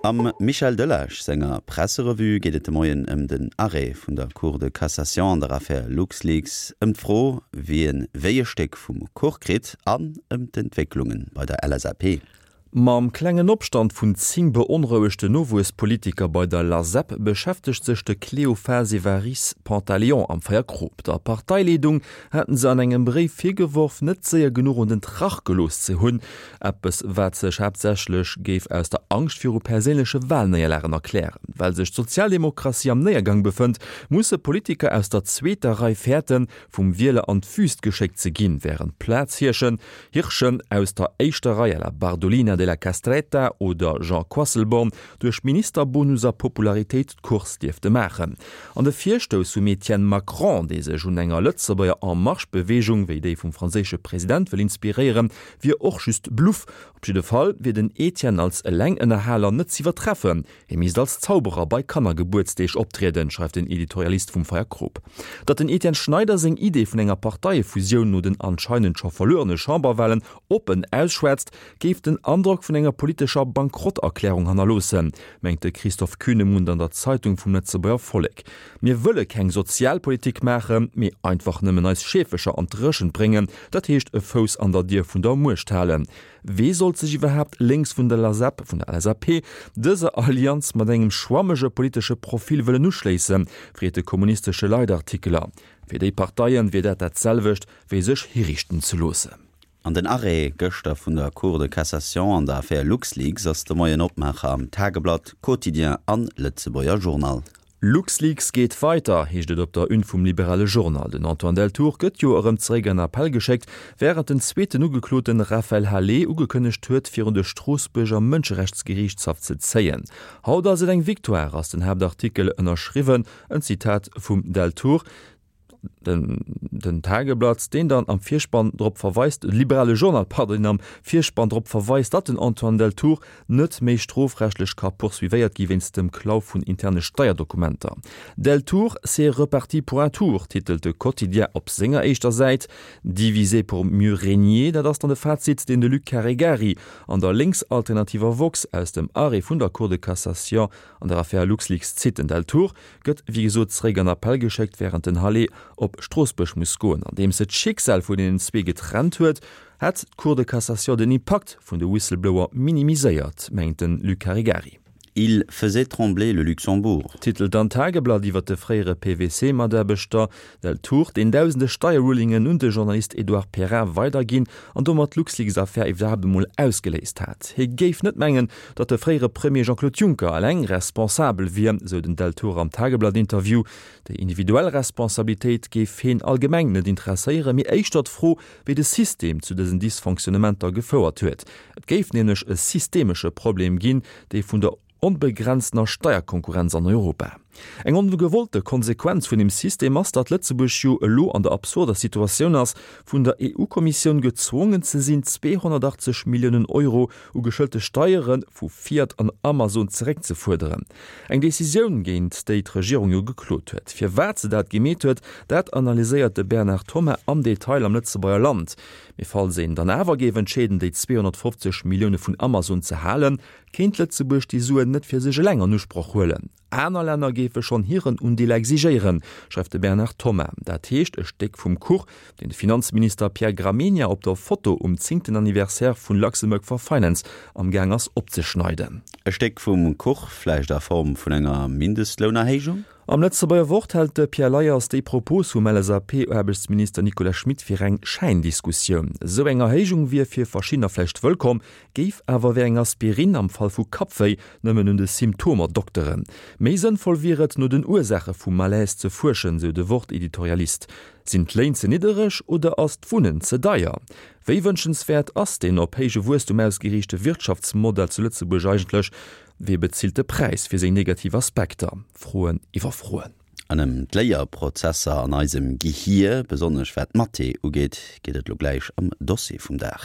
Am Michel Delage senger Presserevue geet et de Moien ëm den Arrêt vun der Cour de Cassation an der Affär LuxLeaks, ëm d'Fro, wien wéi e Stéck vum Kuch kritt an ëm d'Entwécklunge bei der LSAP. Mam klengen Opstand vun 10 beonrouegten Nowuesspolitiker bei der LASEP beschäftegt sech de Cléophas Evariste Pantaleon am Feierkrop. Der Parteileedung haten se an engem Bréif virgeworf, net séier genuch un den Trach gelooss ze hunn. Eppes, wat sech haaptsächlech géif aus der Angscht viru perséinleche Walnéierlagen erklären. Well sech d'Sozialdemokratie am Néiergang befënnt, musse Politiker aus der zweeter Rei fäerten, vum Wieler an d'Wüst geschéckt ze ginn, wärend Plazhirschen Hirschen aus der éischter Rei à la Bardolina della Castretta oder Jean Quasselborn duerch Ministerbonus a Popularitéit d'Course dierfte maachen. An de Virstouss vum Etienne Macron, dee sech un enger Lëtzebuerger En Marche-Beweegung wéi déi vum franséische President wëll inspiréieren, wier och just Bluff. Op jidde Fall wier den Etienne als Elengënnerhaler net z'iwwertreffen. Hie misst als Zauberer bei Kannergebuertsdeeg optrieden, schreift den Editorialist vum Feierkrop. Datt den Etienne Schneider seng Idee vun enger Parteiefusioun no den anscheinend scho verluerene Chamberwahlen oppen ausschwätzt, géif den Androck vun enger politescher Bankrotterklärung hannerloossen, mengt de Christoph Kühnemund an der Zeitung vum Lëtzebuerger Vollek. Mir wëlle keng Sozialpolitik maachen, mee einfach nëmmen eis Scheefelcher an d'Dréchent bréngen, dat heescht e Fouss an der Dier vun der Muecht halen. Wee sollt sech iwwerhaapt lénks vun der LASEP, vun der LSAP, dëser Allianz mat engem schwammege politesche Profil wëllen uschléissen, freet de kommunistesche Leitartikeler. Fir déi Parteien wier dat dat selwecht, wéi sech hiriichten ze loossen. An den Arrêt gëschter vun der Cour de Cassation an der Affär LuxLeaks ass de Moien Opmaacher am Tageblatt, Quotidien an Lëtzebuerger Journal. LuxLeaks geet weiter, heescht et op der Une vum Liberale Journal. Den Antoine Deltour gëtt jo erëm zeréck an Appell geschéckt, wärend den zweeten Ugekloten Raphaël Halet ugekënnegt huet, virun de Stroossbuerger Mënscherechtsgeriichtshaff ze zéien. Haut ass et eng Victoire, ass den Haaptartikel ënnerschriwwen, en Zitat vum Deltour. Den Tageblatt, deen dann am Virspann drop verweist, de Liberale Journal, pardon, deen am Virspann drop verweist, datt den Antoine Deltour net méi strofrechtlech ka poursuivéiert gi wéinst dem Klau vun interne Steierdokumenter. Deltour, c'est reparti pour un tour, titelt de Quotidien op senger éischter Säit. Diviser pour mieux régner, dat ass dann de Fazit, deen de Luc Caregari an der lénksalternativer Woxx aus dem Arrêt vun der Cour de Cassation an der Affär LuxLeaks zitt. Den Deltour gëtt wéi gesot zeréck an Appell geschéckt, wärend den Halet op Stroossbuerg muss goen. Andeems se d'Schicksal vun deenen zwee getrennt huet, hätt d'Cour de Cassation den Impakt vun de Whistleblower minimiséiert, mengt de Luc Caregari. Il faisait trembler le Luxembourg. Titelt an Tageblatt iwwer de fréiere PwC-Mataarbechter Deltour, deen dausende Steierrulingen un de Journalist Edouard Perrin weiderginn an domat d'LuxLeaks-Affär iwwerhaapt emol ausgeléist hat. Hie géif net mengen, datt de fréiere Premier Jean-Claude Juncker eleng responsabel wier, sou den Deltour am Tageblatt-Interview. Déi individuell Responsabilitéit géif heen allgemeng net interesséieren, mee éischter d'Fro, wéi de System zu dësen Dysfonctionnementer gefouert huet. Et géif nämlech e systemesche Problem ginn, dee vun der onbegrenztener Steierkonkurrenz an Europa. Eng ongewollte Konsequenz vun deem System ass, datt Lëtzebuerg jo elo an der absurder Situatioun ass, vun der EU-Kommissioun gezwongen ze sinn, 280 Milliounen Euro u geschëllte Steiere vu Fiat an Amazon zeréckzefuerderen. Eng Decisioun, géint déi d'Regierung jo geklot huet. Firwat se dat gemeet huet, dat analyséiert de Bernard Thomas am Detail am Lëtzebuerger Land. Mee falls een dann awer géif entscheeden, déi 250 Millioune vun Amazon ze halen, Kéint Lëtzebuerg déi Suen net fir sech eleng an Usproch huelen? Aner Länner géife schonn hiren Undeel exigéieren, schreift de Bernard Thomas. Dat heescht e Stéck vum Kuch, deen de Finanzminister Pierre Gramegna op der Foto um zéngten Anniversaire vun Luxembourg for Finance am Gaang ass opzeschneiden. E Stéck vum Kuch, vläicht a Form vun enger Mindestlounerhéijung? Am Lëtzebuerger Wort hält de Pierre Leyers déi Propos vum LSAP-Aarbechtsminister Nicolas Schmit fir eng Schäindiskussioun. Esou eng Erhéijung wier fir verschiddener vläicht wëllkomm, géif awer wéi eng Aspirin am Fall vu Kappwéi nëmmen un de Symptomer dokteren. Méi sënnvoll wier et, no den Ursaache vum Malaise ze fuerschen, sou de Wort-Editorialist. Sinn d'Léin ze niddereg oder ass d'Wunnen ze deier? Wéi wënschenswäert ass deen op héije Wuesstum ausgeriichte Wirtschaftsmodell zu Lëtzebuerg eigentlech? Wee bezilt de Präis fir seng negativ Aspekter? Froen iwwer Froen. An ëm d'Léierprozesser an eisem Gehier, besonnesch wat Mathé ugeet, geet et lo gläich am Dossier vum Dag.